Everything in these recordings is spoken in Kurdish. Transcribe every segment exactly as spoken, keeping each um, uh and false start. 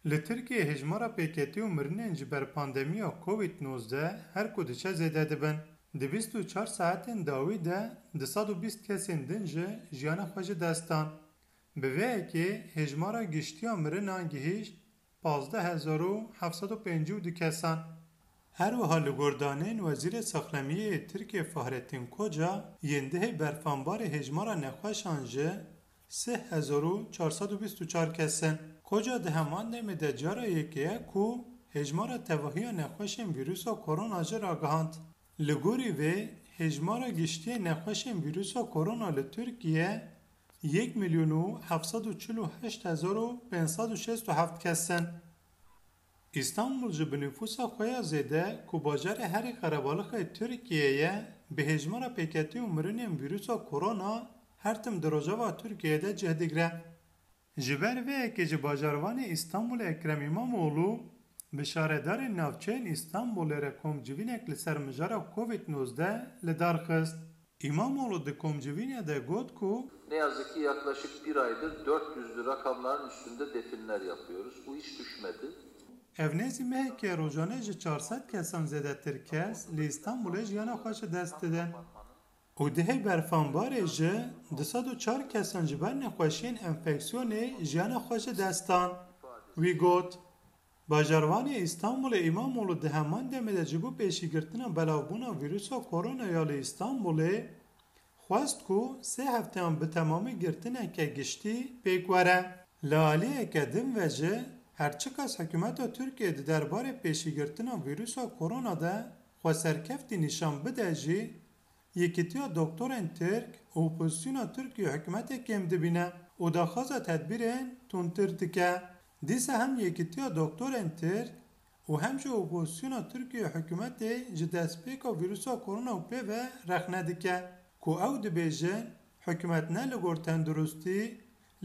Li Tirkiyeyê hêjmara pêketî û mirinên ji ber pandemiya Covid nozdeh her ku diçe zêde dibin. Di bîst û çar saetên dawî de du sed û bîst kesên din jî jiyana xwe ji dest dan. Bi vê yekê hêjmara giştî ya mirinan gihîşt pazdeh hezar û heft sed û pêncî û du kesan. Her wiha li gor daneyên Wezîrê Saxlemiyê yê Tirkiyê Fahrettin Koca, yên dihê berfanbarê hêjmara nexweşan ji sih hezar û çar sed û bîst û çar kes in. Koca di heman demê de cara yekê ye ku hêjmara tevahiya nexweşên vîrusa korona jî ragihand. Li gorî vê, hêjmara giştî yê nexweşên vîrusa korona li Tirkiye yek milyon û heft sed û çil û heşt hezar û pênc sed û şêst û heft kes in. Îstanbul ji bi nifûsa xwe ya zêde ku bajarê herî qerebalixê Tirkiyê ye, bi hêjmara pêketî û mirinên vîrusa korona her tim di rojeva Tirkiyeyê de cih digre. Ji ber vê yekê ji bajarvanê Îstanbulê Ekrem Îmamoğlu bi şaredarên navçeyên Îstanbulê re komcivînek li ser mijara Covid nozdeh li dar xist. Îmamoğlu di komcivînê de got ku, Ne yazık ki yaklaşık bir aydır dört yüzlü rakamların üstünde definler yapıyoruz. Bu hiç düşmedi. Ev nêzî mehekê rojane ji çar sed kesan zêdetir kes li Îstanbulê jiyana xwe ji dest didin. Û dihê berfanbarê ji du sed û çar kesan ji ber nexweşiyên enfeksiyonê jiyana xwe ji dest dan. Wî got, Bajarvanê Îstanbulê Îmamoğlu di heman demê de ji bo pêşîgirtina belavbûna vîrusa korona ya li Îstanbulê xwest ku sê hefteyan bi temamî girtineke giştî pêk were. Li aliyeke din ve jî, her çiqas hikûmeta Tirkiyê di derbarê pêşîgirtina vîrusa korona de xweserkeftî nîşan bide jî, Yekîtiya Doktorên Tirk opozisyona Tirk ji hikûmetê kêm dibîne û daxwaza tedbîrên tundtir dike. Dîsa hem Yekîtiya Doktorên Tirk û hem jî opozisyona Tirk ji hikûmetê ji destpêka vîrusa korona û pê ve rexne dike ku ew dibêjin, hikûmet ne li gor tenduristî,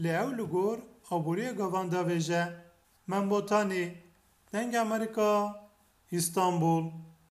lê ew li gor aboriyê gavan davêje. Mem Botanî, Dengê Amerîka, Îstanbul.